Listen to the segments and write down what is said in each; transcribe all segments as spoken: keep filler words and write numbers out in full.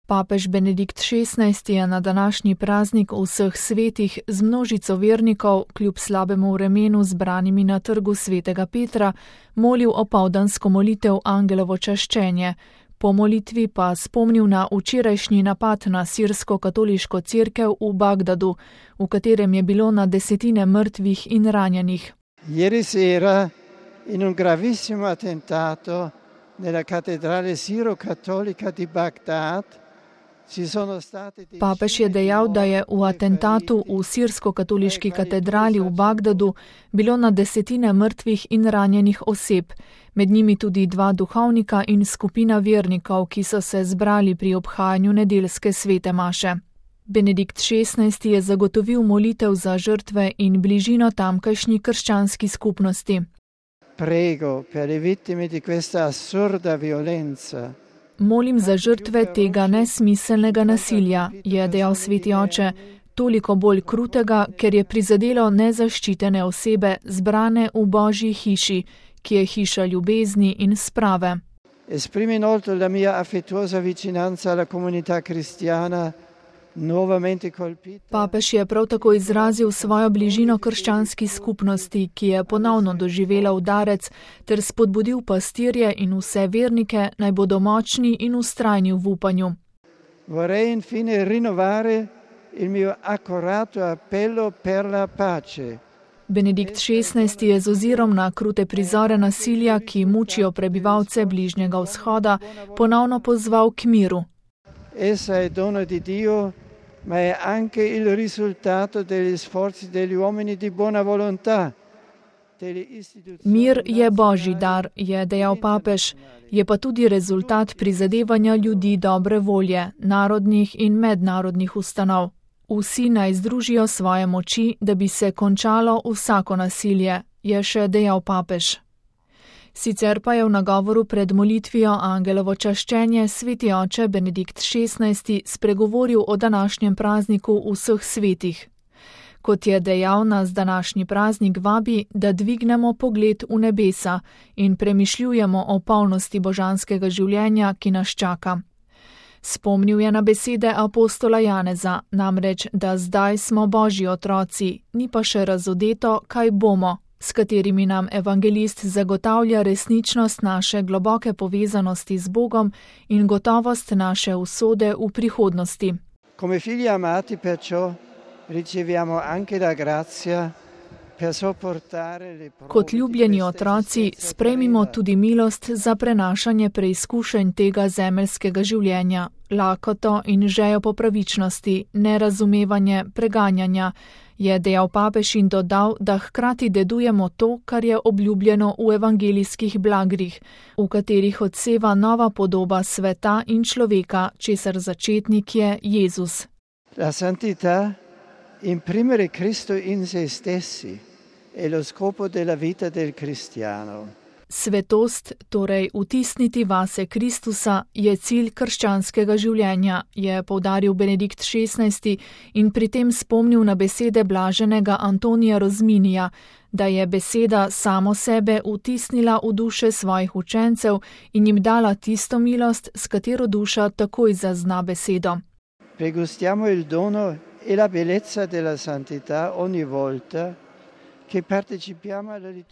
Papež Benedikt šestnajsti je na današnji praznik vseh svetih z množico vernikov, kljub slabemu vremenu zbranimi na trgu svetega Petra, molil opoldansko molitev Angelovo čaščenje. Po molitvi pa spomnil na včerajšnji napad na sirsko-katoliško cerkev v Bagdadu, v katerem je bilo na desetine mrtvih in ranjenih. Ieri sera in un gravissimo attentato nella cattedrale siro-cattolica di Bagdad. Papež je dejal, da je v atentatu v sirsko-katoliški katedrali v Bagdadu bilo na desetine mrtvih in ranjenih oseb, med njimi tudi dva duhovnika in skupina vernikov, ki so se zbrali pri obhajanju nedeljske svete maše. Benedikt šestnajsti je zagotovil molitev za žrtve in bližino tamkajšnji krščanski skupnosti. Prego per le vittime di questa assurda violenza. Molim za žrtve tega nesmiselnega nasilja, je dejal sveti oče, toliko bolj krutega, ker je prizadelo nezaščitene osebe zbrane v Božji hiši, ki je hiša ljubezni in sprave. Esprimo inoltre la mia affettuosa vicinanza alla comunità cristiana. Papež je prav tako izrazil svojo bližino krščanski skupnosti, ki je ponovno doživela udarec, ter spodbudil pastirje in vse vernike, naj bodo močni in vztrajni v upanju. Vorrei infine rinnovare il mio accorato appello per la pace. Benedikt šestnajsti je z ozirom na krute prizore nasilja, ki mučijo prebivalce Bližnjega vzhoda, ponovno pozval k miru. Essa è dono di Dio, ma è anche il risultato degli sforzi degli uomini di buona volontà. Mir je Božji dar, je dejal papež, je pa tudi rezultat prizadevanja ljudi dobre volje, narodnih in mednarodnih ustanov. Vsi naj združijo svoje moči, da bi se končalo vsako nasilje, je še dejal papež. Sicer pa je v nagovoru pred molitvijo Angelovo čaščenje sveti oče Benedikt šestnajsti spregovoril o današnjem prazniku vseh svetih. Kot je dejal, nas današnji praznik vabi, da dvignemo pogled v nebesa in premišljujemo o polnosti božanskega življenja, ki nas čaka. Spomnil je na besede apostola Janeza, namreč, da zdaj smo Božji otroci, ni pa še razodeto, kaj bomo, s katerimi nam evangelist zagotavlja resničnost naše globoke povezanosti z Bogom in gotovost naše usode v prihodnosti. Come figli amati perciò riceviamo anche la grazia per sopportare le prove. Kot ljubljeni otroci sprejmimo tudi milost za prenašanje preizkušenj tega zemeljskega življenja, lakoto in žejo po pravičnosti, nerazumevanje, preganjanja, je dejal papež in dodal, da hkrati dedujemo to, kar je obljubljeno v evangelijskih blagrih, v katerih odseva nova podoba sveta in človeka, česar začetnik je Jezus. La santità, imprimere Cristo in se stessi, è lo scopo della vita del cristiano. Svetost, torej vtisniti vase Kristusa, je cilj krščanskega življenja, je poudaril Benedikt šestnajsti in pri tem spomnil na besede blaženega Antonija Rozminija, da je beseda samo sebe vtisnila v duše svojih učencev in jim dala tisto milost, s katero duša takoj zazna besedo. Pregustiamo il dono e la bellezza della santità ogni volta.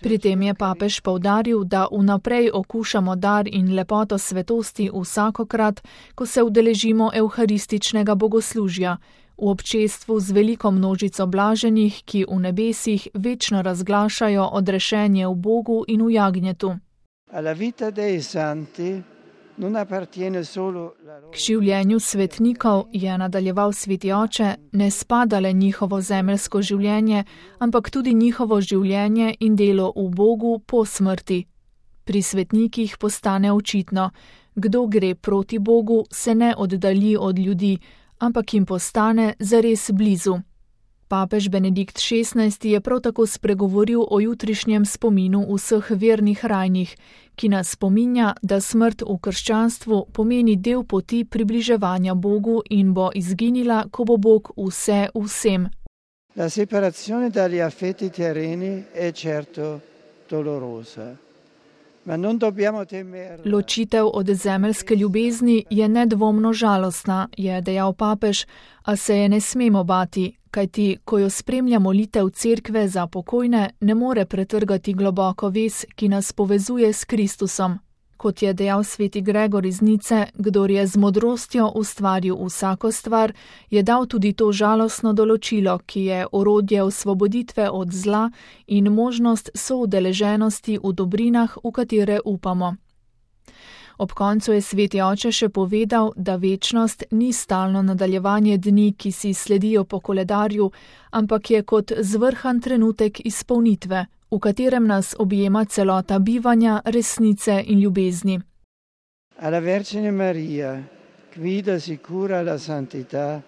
Pri tem je papež poudaril, da vnaprej okušamo dar in lepoto svetosti vsakokrat, ko se udeležimo evharističnega bogoslužja, v občestvu z veliko množico blaženih, ki v nebesih večno razglašajo odrešenje v Bogu in v jagnjetu. K življenju svetnikov, je nadaljeval sveti oče, ne spada le njihovo zemeljsko življenje, ampak tudi njihovo življenje in delo v Bogu po smrti. Pri svetnikih postane očitno, kdo gre proti Bogu, se ne oddalji od ljudi, ampak jim postane zares blizu. Papež Benedikt šestnajsti je prav tako spregovoril o jutrišnjem spominu vseh vernih rajnih, ki nas spominja, da smrt v krščanstvu pomeni del poti približevanja Bogu in bo izginila, ko bo Bog vse vsem. La separazione dagli affetti terreni è certo dolorosa, Ločitev od zemeljske ljubezni je nedvomno žalostna, je dejal papež, a se je ne smemo bati, kajti, ko jo spremlja molitev cerkve za pokojne, ne more pretrgati globoko vez, ki nas povezuje s Kristusom. Kot je dejal sveti Gregor iz Nice, kdor je z modrostjo ustvaril vsako stvar, je dal tudi to žalostno določilo, ki je orodje osvoboditve od zla in možnost soudeleženosti v dobrinah, v katere upamo. Ob koncu je sveti oče še povedal, da večnost ni stalno nadaljevanje dni, ki si sledijo po koledarju, ampak je kot zvrhan trenutek izpolnitve, v katerem nas objema celota bivanja, resnice in ljubezni. Alla Vergine Maria, guida sicura la santità,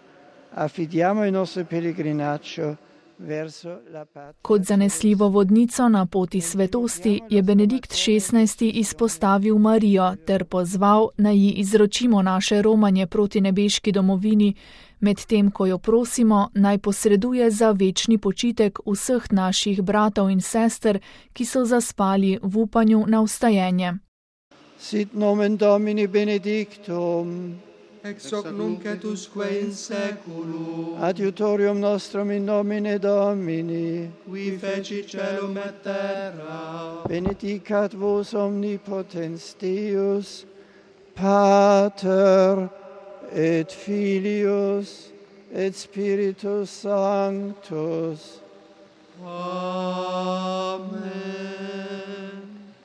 affidiamo il nostro pellegrinaggio verso la patria. Kot zanesljivo vodnico na poti svetosti je Benedikt šestnajsti izpostavil Marijo ter pozval, naj ji izročimo naše romanje proti nebeški domovini, medtem ko jo prosimo, naj posreduje za večni počitek vseh naših bratov in sester, ki so zaspali v upanju na vstajenje. Sit nomen Domini benedictum, ex hoc nunc et usque in saeculum, adiutorium nostrum in nomine Domini, qui feci caelum et terra, benedicat vos omnipotens Deus, Pater et Filius et Spiritus Sanctus. Amen.